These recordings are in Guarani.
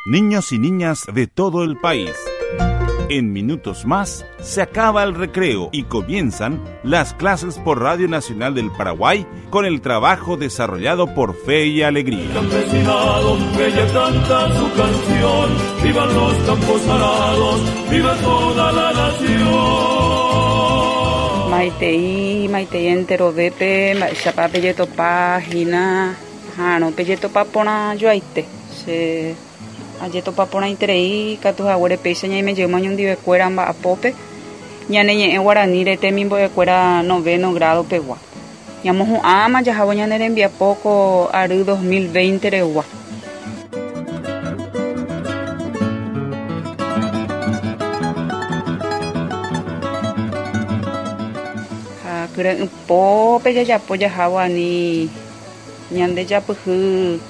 Niños y niñas de todo el país. En minutos más se acaba el recreo y comienzan las clases por Radio Nacional del Paraguay con el trabajo desarrollado por Fe y Alegría. Campesinado, que ya canta su canción, vivan los campos arados, viva toda la nación. Maitei, maitei enterovépe, mba'éichapa pejetopa hína aha'arõ pejetopa porã joaite. Che ajetopa porãiterei katu haguére péicha ñaime jeýma oñondivekuéra mba'apópe ñane ñe'ẽ guaraníre temimbo'ekuéra noveno grado pegua. Ñamohu'ãma jahávo ñane rembiapo ko ary 2020 regua. Ha kyre'ỹpópe jajapo jahávo ani ñande japyhy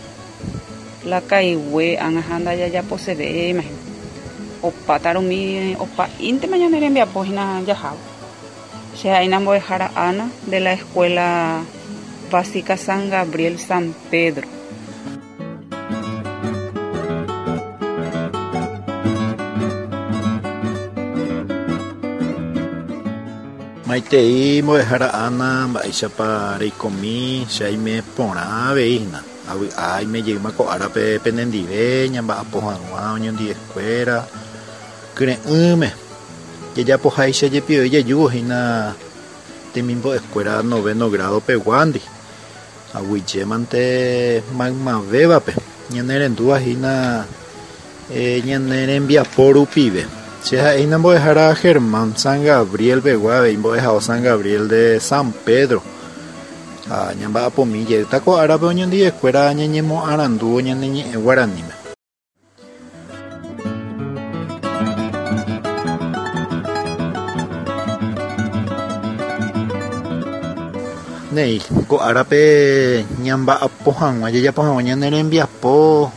la kaigue ág̃a ha ndajajaposevéima hína. Opáta rumi opa'íntema ñane rembiapo hína jahávo. Che ha'éina mbo'ehára Ana de la Escuela Básica San Gabriel San Pedro. Maitei mbo'ehára Ana, mba'éichapa reikomi, che aime porã avei hína. Avy'a aime jeýma ko árape penendive ñamba'apo hag̃ua oñondivekuéra kyre'ỹme. Jajapoháicha jepi oĩ jajúvo hína temimbo'ekuéra noveno grado peguándi. Aguyjémante maymavévape ñanerendúva hína ñane rembiapo rupive. Che ha'e hína mbo'ehára Germán San Gabriel pegua avei mbo'ehao San Gabriel de San Pedro. Ha ñamba'apomi jeýta ko árape oñondivekuéra ñañemoarandúvo ñane ñe'ẽ guaraníme. Néi, ko árape ñamba'apo hag̃ua, jajapo hag̃ua ñane rembiapo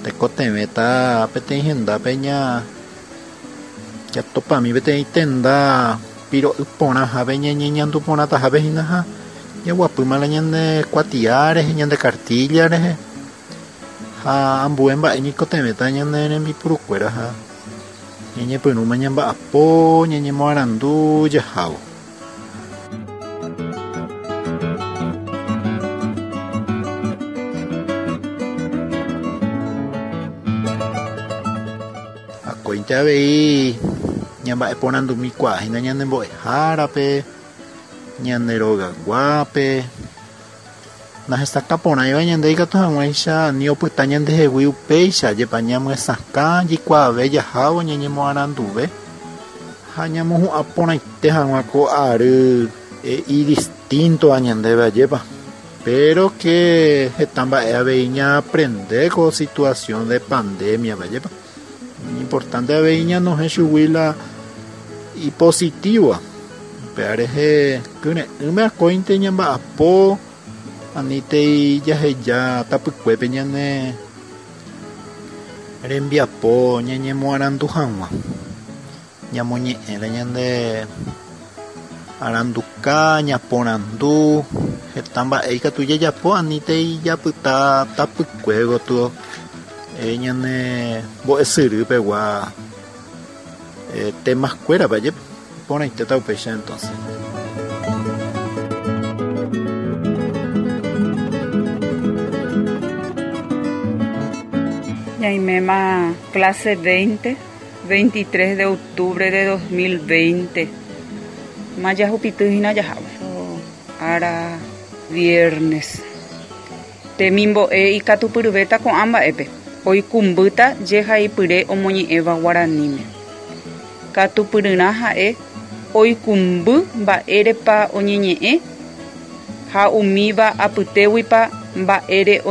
tekotevẽta peteĩ hendápe ña jatopami peteĩ tenda piro'y porãhápe ñañeñandu porãtahápe hína ha jaguapýma la ñande kuatia rehe, ñande kartílla rehe. Ha ambue mba'e ñaikotevẽta ñane rembipurukuéra ha ñañepyrũma ñamba'apo, ñañemoarandu jahávo. Akóinte avei ñamba'eporandumikuaa hína ñane mbo'ehárape, ñande rogaguápe. Nahesakã porãiva ñande ikatu hag̃uáicha ani opyta ñandehegui upéicha, jepa ñamyesakã jaikuaave jahávo ñañemoaranduve ha ñamohu'ã porãite hag̃ua ko ary idistíntova ñandéve, ajépa. Péro ke heta mba'e avei ñaaprende ko situasión de pandémiape, ajépa. Iñimportánte avei ñanohẽ chugui la ipositívova. Upéva rehe kyre'ỹme akóinte ñamba'apo anítei jaheja tapykuépe ñane rembiapo ñañemoarandu hag̃ua. Ñamoñe'ẽre ñande aranduka, ñaporandu, heta mba'e ikatu jajapo anítei japyta tapykue gotyo ñane mbo'esyry pegua temas kuérape, ajépa iporãitéta upéicha entonces. Ñaiméma clase 20. 23 de octubre de 2020 Ma jahupity hína jahávo ára viernes. Temimbo'e ikatupyryvéta ko'ã mba'épe, oikũmbýta jehaipyre omoñe'ẽva guaraníme. Katupyryrã ha'e oikũmby mba'érepa oñeñe'ẽ ha umíva apytéguipa mba'ére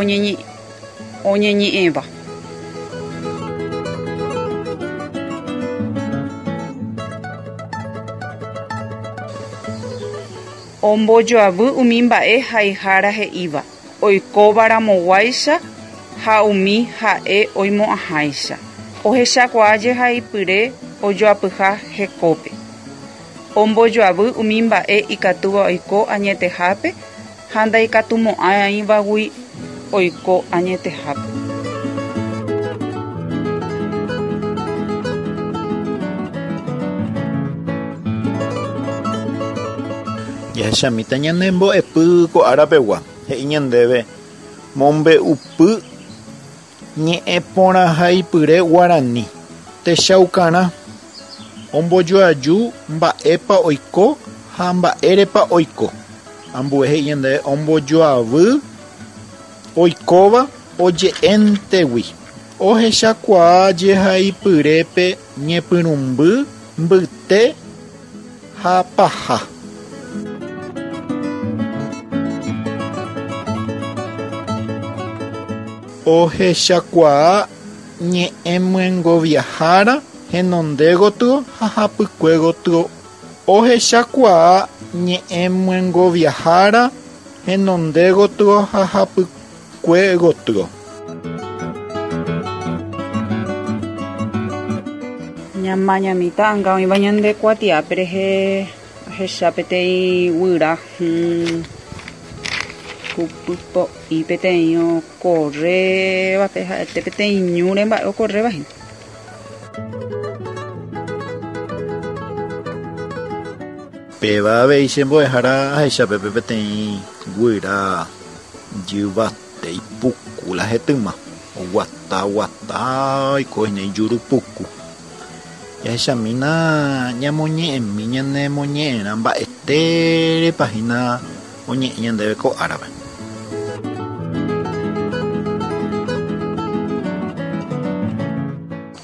oñeñe'ẽva. Ombojoavy umi mba'e haihára he'íva, oikóva ramoguáicha ha umi ha'e oimo'ãháicha. Ohechakuaa jehaipyre ojoapyha hekópe. Ombojoavy umi mba'e ikatúva oiko añetehápe ha ndaikatumo'ãivagui oiko añetehápe. Jahechamíta ñane mbo'epy ko árapegua, he'i ñandéve mombe'upy ñe'ẽporãhaipyre guarani. Techaukarã, ombojoaju mba'épa oiko ha mba'érepa oiko. Ambue he'i ñandéve ombojoavy oikóva oje'éntegui. Ohechakuaa jehaipyrépe ñepyrũmby mbyte ha paha. Ohechakuaa ñe'ẽmyengoviahára henonde gotyo ha hapykue gotyo. Ohechakuaa ñe'ẽmyengoviahára henonde gotyo ha hapykue gotyo. Ñamañami ta'anga oĩva ñande kuatiápe rehe ahecha peteĩ guyra hũ kupypo'i peteĩ okorrévape ha'ete peteĩ ñúre mba'e okorréva hína. Péva avei che mbo'ehára ahecha pépe peteĩ guyra jyvate ipuku la hetyma, oguata guata oiko hína ijuru puku. Jahechamína ñamoñe'ẽmi ñane moñe'ẽrã mba'etérepa hína oñe'ẽ ñandéve ko árape.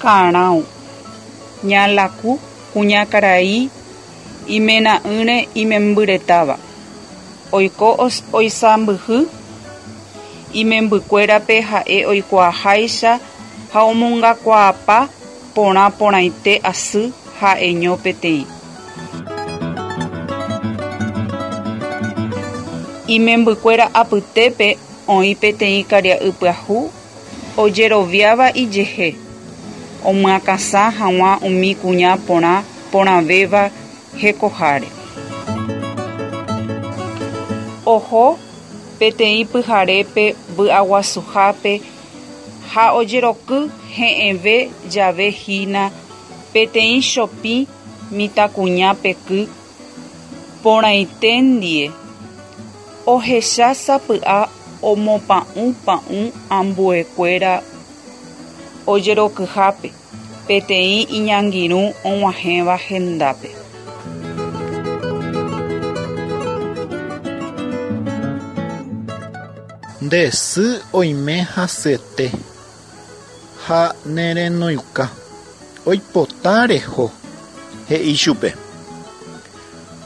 Karão, Ñalaku, kuñakarai imena'ỹre imembyretáva, oiko oisãmbyhy imembykuérape ha'e oikuaaháicha ha omongakuaapa porã porãite asy ha'eño peteĩ. Imembykuéra apytépe oĩ peteĩ karia'y pyahu ojeroviáva ijehe, omyakãsã hag̃ua umi kuña porã porãvéva hekoháre. Oho peteĩ pyharépe vy'aguasuhápe ha ojeroky he'ẽve jave hína peteĩ chopĩ mitãkuña peky porãite ndie, ohecha sapy'a omopa'ũ pa'ũ ambuekuéra ojerokyhápe peteĩ iñangirũ og̃uahẽva hendápe. Nde sy oime hasyete ha nerenoiuka, oipota reho, he'i chupe.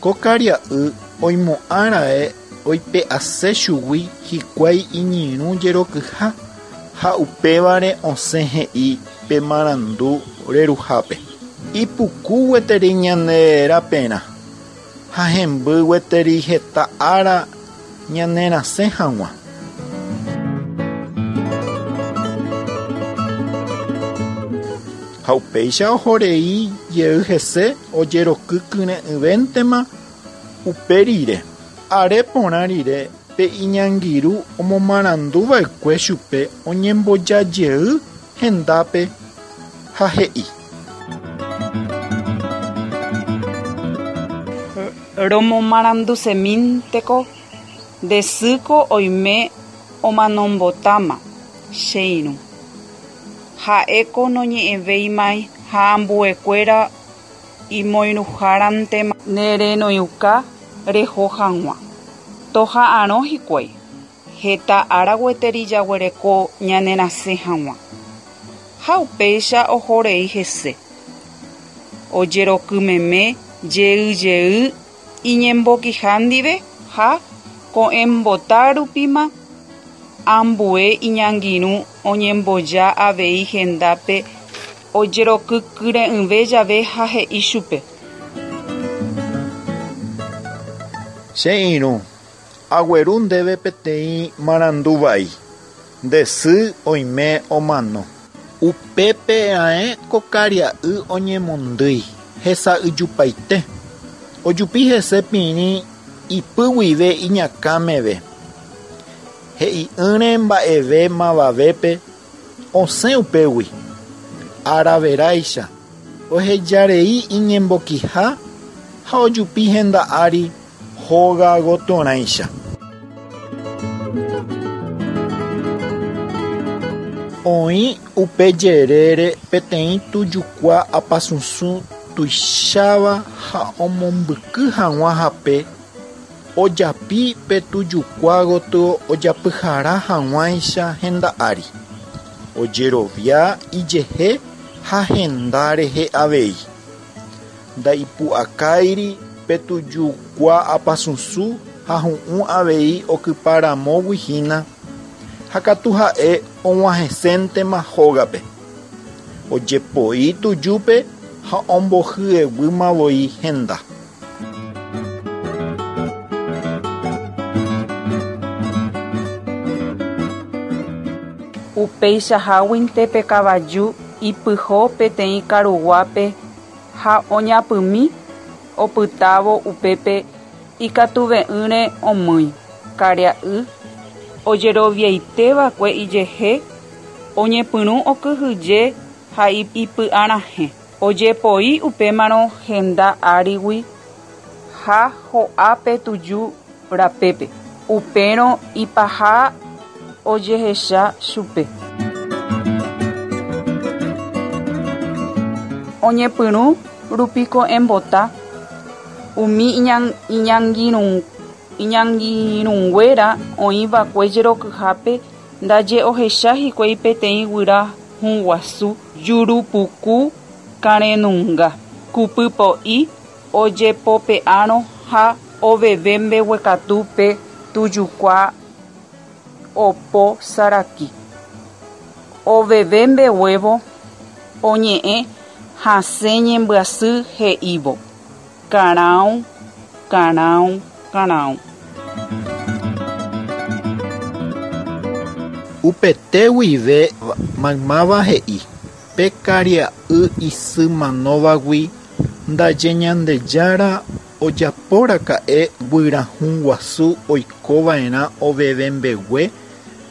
Ko karia'y oimo'ã raẽ oipe'ase chugui hikuái iñirũ jerokyha ha upévare osẽ he'i pe marandu reruhápe. Ipuku gueteri ñane raperã ha hemby gueteri heta ára ñanerasẽ hag̃ua. Ha upéicha oho rei jey hese ojeroky kyre'ỹvéntema upe rire. Are porã rire pe iñangirũ omomarandu va'ekue chupe oñemboja jey hendápe ha he'i. Romomarandusemínteko nde sýko oime omanombotáma, che irũ. Ha'éko noñe'ẽvéimai ha ambuekuéra imoirũhárantema nerenoiuka reho hag̃ua. Toha'arõ hikuái, heta ára gueteri jaguereko ñanerasẽ hag̃ua. Ha upéicha oho rei hese. Ojerokymeme jey jey iñembokiha ndive ha ko'ẽmbota rupíma ambue iñangirũ oñemboja avei hendápe ojerokykyre'ỹve jave ha he'i chupe. Che irũ, agueru ndéve peteĩ marandu vai, nde sy oime omano. Upépe ae ko karia'y oñemondýi, hesa'yjupaite. Ojupi hese pirĩ ipy guive iñakã meve. He'i'ỹre mba'eve mavavépe osẽ upégui. Ára veráicha, ohejarei iñembokiha ha ojupi henda ári. Hóga gotyorãicha. Oĩ upe jerére peteĩ tujukua apasusũ tuicháva ha omombyky hag̃ua hape, ojapi pe tujukua gotyo ojapyhara hag̃uáicha henda ári. Ojerovia ijehe ha henda rehe avei. Ndaipu'akáiri pe tujukua apasusũ ha hu'ũ avei okypa ramógui hína, ha katu ha'e og̃uahẽséntema hógape. Ojepoi tujúpe ha ombohyeguýmavoi henda. Upeichaháguinte pe kavaju ipyho peteĩ karuguápe ha oñapymi opytávo upépe ikatuve'ỹre omýi. Karia'y ojeroviaiteva'ekue ijehe oñepyrũ okyhyje ha ipy'arahẽ. Ojepoi upémarõ henda árigui ha ho'a pe tuju rapépe. Upérõ ipaha ojehecha chupe. Oñepyrũ rupi ko'ẽmbota umi iñangirũnguéra oĩva'ekue jerokyhápe ndaje ohecha hikuái peteĩ guyra hũ guasu jurupuku karẽnunga, kupypo'i ojepope'árõ ha oveve mbeguekatu pe tujukua opo saraki. Oveve mbeguévo oñe'ẽ hasẽ ñembyasy he'ívo: Karãu, karãu, karãu. Upete guive maymáva he'i pe karia'y isy manóvagui ndaje Ñandejára ojapóraka'e guyra hũ guasu oikova'erã oveve mbegue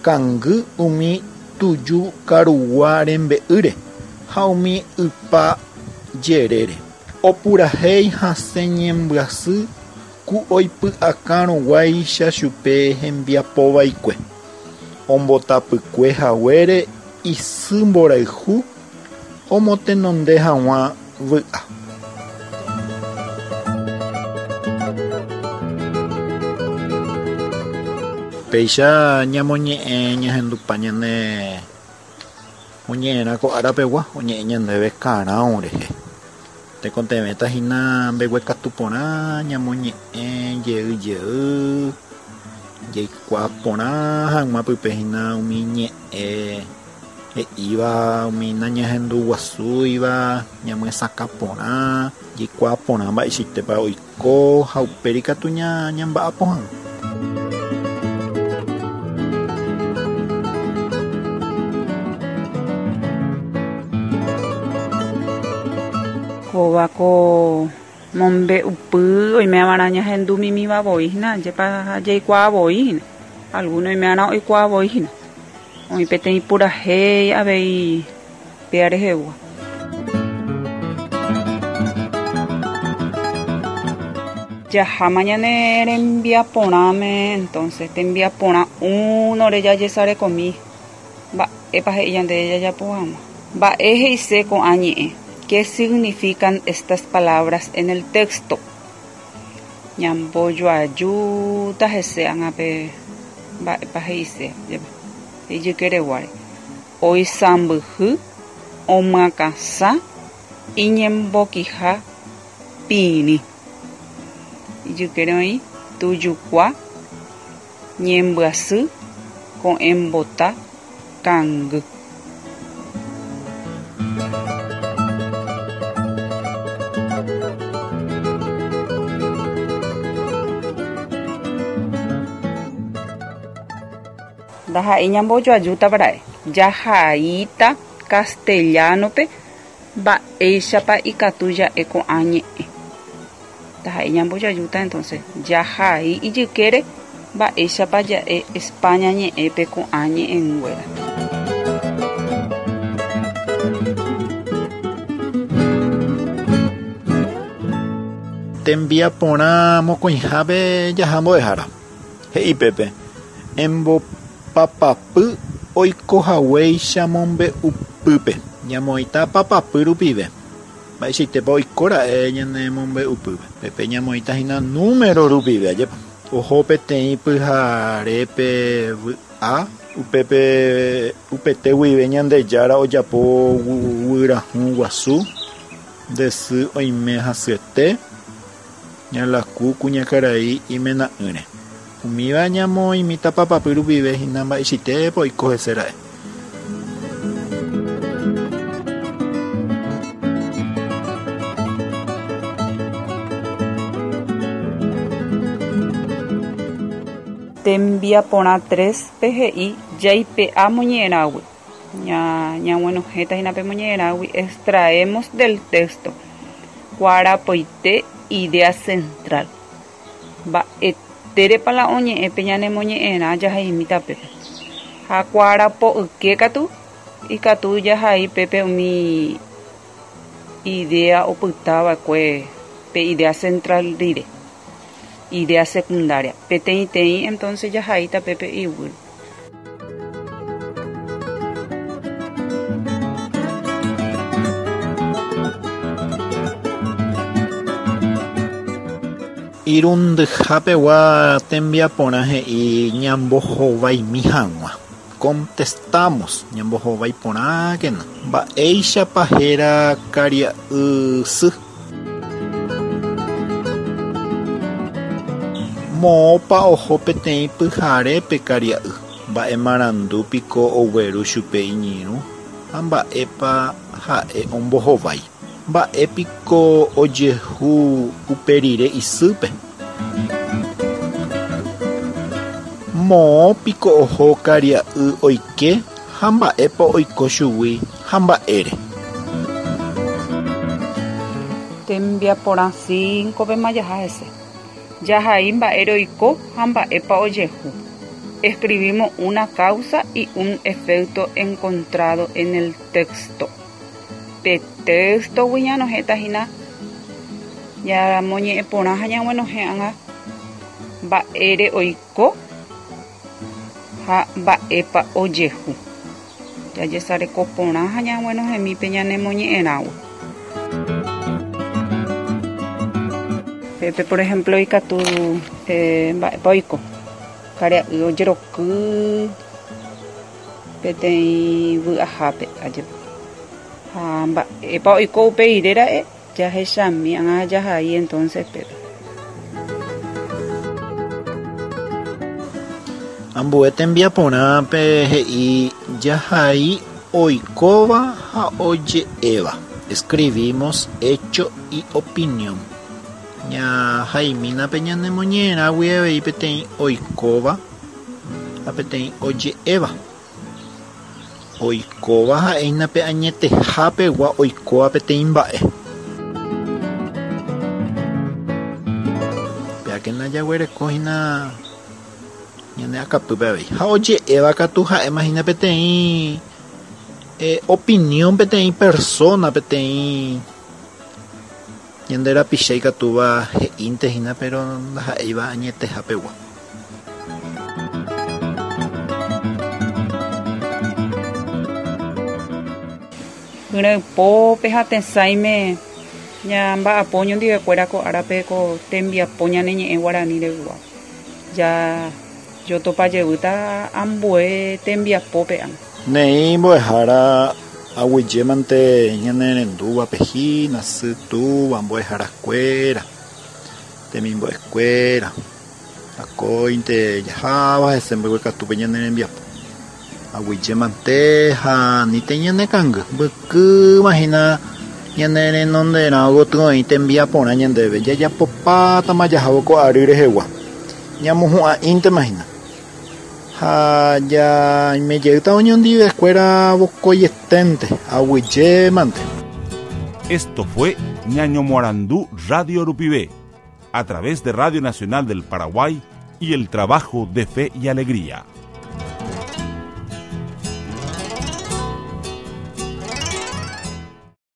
kangy umi tuju karugua rembe'ýre ha umi ypa jerére. Opurahéi hasẽ ñembyasy ku oipy'akãruguáicha chupe hembiapovaikue. Ombotapykue haguére isy mborayhu omotenonde hag̃ua vy'a. Péicha ñamoñe'ẽ ñahendupa ñane moñe'ẽrã ko ára pegua oñe'ẽ ñandéve karãu rehe. Tekotevẽta hína mbeguekatu porã ñamoñe'ẽ jey jey, jaikuaa porã hag̃ua pype hína umi ñe'ẽ he'íva, umi nañahenduguasúiva, ñamyesakã porã, jaikuaa porã mba'eichaitépa oiko ha upéri katu ñamba'apo hag̃ua. Kóva ko mombe'upy oime'arã ñahendumimíva voi hína, ajépa jaikuaa voi hína. Alguno oime'arã oikuaa voi hína. Oĩ peteĩ purahéi avei péa rehegua. Jaháma ñane rembiaporãme, entonces tembiaporã únore jajesarekomi mba'épa he'i ñande jajapo hag̃ua. Mba'e he'ise ko'ã ñe'ẽ? ¿Qué significan estas palabras en el texto? Ñambojoajúta hese ág̃a pe mba'épa he'ise ijykereguáre. Oisãmbyhy, omyakãsã, iñembokiha pirĩ. Ijykére oĩ tujukua, ñembyasy, ko'ẽmbota, kangy. Ndaha'éi ñambojoajútava ra'e. Jahaíta castellano-pe mba'éichapa ikatu ja'e ko'ã ñe'ẽ. Ndaha'éi ñambojoajúta entonces jahai ijykére mba'éichapa ja'e España ñe'ẽpe ko'ã ñe'ẽnguéra. Tembiaporã mokõihápe jaha mbo'ehára. He'i pépe, Embopapapy oikohaguéicha mombe'upýpe. Ñamoĩta papapy rupive. Mba'eichaitépa oikóra'e ñane mombe'upýpe. Pépe ñamoĩta hína número rupive, ajépa. Oho peteĩ pyharépe vy'a, upépe upete guive Ñandejára ojapo guyrahu guasu, nde sy oime hasyete, ñalaku kuñakarai imena'ỹre. Umíva ñamoĩmíta papapy rupive hína mba'eichaitépa oiko hese ra'e. Tembiaporã 3-pe he'i jaipe'a moñe'ẽrãgui. Ñaguenohẽta hína pe moñe'ẽrãgui extraemos del texto kuaarapoite idea central. Mba'etérepa la oñe'ẽ pe ñanemoñe'ẽrã jahaimi tapépe. Ha kuaarapo'yke katu ikatu jahai pépe umi idea opyta va'ekue pe idea central rire, idea secundaria. Peteĩteĩ entonces jahai tapépe iguy. Irundyhapegua tembiaporã he'i ñambohovaimi hag̃ua. Contestamos, ñambohovái porãkena. Mba'éichapa héra karia'y sy? Moõpa oho peteĩ pyhare pe karia'y? Mba'e marandu piko ogueru chupe iñirũ ha mba'épa ha'e ombohovái? Mba'e piko ojehu upe rire isýpe? Moõ piko oho karia'y oike ha mba'épa oiko chugui ha mba'ére? Tembiaporã 5-pema jaha hese. Jahai mba'ére oiko ha mba'épa ojehu. Escribimos una causa y un efecto encontrado en el texto. Pe téxtogui ñanohẽta hína ñamoñe'ẽ porã ha ñaguenohẽ ág̃a mba'ére oiko ha mba'épa ojehu. Jajesareko porã ha ñaguenohẽmi pe ñanemoñe'ẽrãgui. Pépe por ehémplo ikatu mba'épa oiko, karia'y ojeroky peteĩ vy'ahápe ajépa. Ha mba'épa oiko upe rire ra'e jahechami ág̃a jahai entonces pépe. Ambue tembiaporã pe he'i jahai oikóva ha oje'éva. Escribimos hecho y opinión. Ñahaimína pe ñanemoñe'ẽrãgui avei peteĩ oikóva ha peteĩ oje'éva. Oikóva ha'éina pe añetehápegua oikóva peteĩ mba'e. Péakena jaguereko hína ñane akapýpe avei. Ha oje'éva katu ha'éma hína peteĩ opinión peteĩ persona, peteĩ ñande rapicha ikatúva he'ínte hína péro ndaha'éiva añetehapegua. Hyrãypópe ha tesãime ñamba'apo oñondivekuéra ko árape ko tembiapo ñane ñe'ẽ guarani rehegua. Ja jotopa jevýta ambue tembiapópe ág̃a. Neĩ mbo'ehára aguyjémante ñane rendúvape hína, sy, túva, mbo'eharakuéra, temimbo'ekuéra. Akóinte jaháva hese mbeguekatúpe ñane rembiapo. Aguyje mante ha anítei ñane kangy. Mbykýma hína ñane renonderã gotyo oĩ tembiaporã ñandéve. Jajapopátama jahávo ko ary rehegua. Ñamohu'ã'íntema hína. Ha jaime jeýta oñondivekuéra vokoieténte. Aguyje mante. Esto fue Ñañomoarandu Radio Rupive. a través de Radio Nacional del Paraguay y el trabajo de Fe y Alegría.